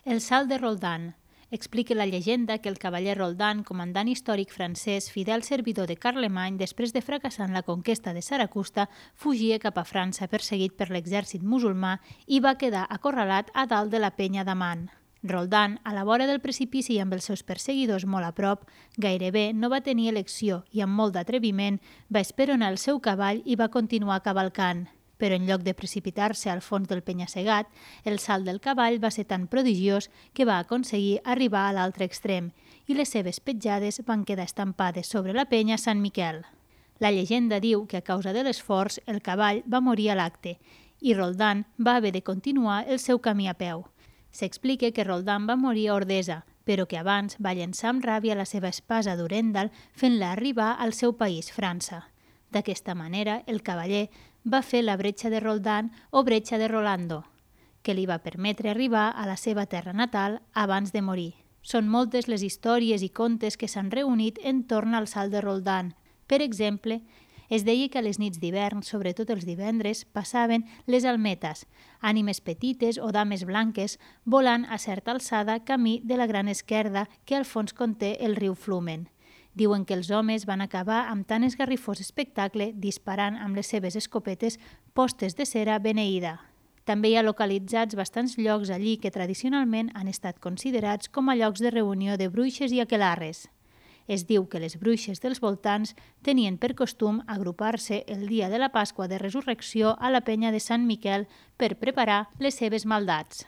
El salt de Roldan. Explica la llegenda que el cavaller Roldan, comandant històric francès, fidel servidor de Carlemany, després de fracassar en la conquesta de Saracusta, fugia cap a França perseguit per l'exèrcit musulmà i va quedar acorralat a dalt de la penya d'Aman. Roldan, a la vora del precipici i amb els seus perseguidors molt a prop, gairebé no va tenir elecció i amb molt d'atreviment va esperonar el seu cavall i va continuar cavalcant. Però en lloc de precipitar-se al fons del penya-segat, el salt del cavall va ser tan prodigiós que va aconseguir arribar a l'altre extrem i les seves petjades van quedar estampades sobre la penya Sant Miquel. La llegenda diu que a causa de l'esforç el cavall va morir a l'acte i Roldan va haver de continuar el seu camí a peu. S'explica que Roldan va morir a Ordesa, però que abans va llençar amb ràbia la seva espasa d'Urendal fent-la arribar al seu país, França. D'aquesta manera, el cavaller va fer la bretxa de Roldan o bretxa de Rolando, que li va permetre arribar a la seva terra natal abans de morir. Són moltes les històries i contes que s'han reunit entorn al salt de Roldan. Per exemple, es deia que a les nits d'hivern, sobretot els divendres, passaven les almetes, ànimes petites o dames blanques, volant a certa alçada camí de la Gran Esquerda que al fons conté el riu Flumen. Diuen que els homes van acabar amb tan esgarrifós espectacle disparant amb les seves escopetes postes de cera beneïda. També hi ha localitzats bastants llocs allí que tradicionalment han estat considerats com a llocs de reunió de bruixes i aquelarres. Es diu que les bruixes dels voltants tenien per costum agrupar-se el dia de la Pasqua de Resurrecció a la penya de Sant Miquel per preparar les seves maldats.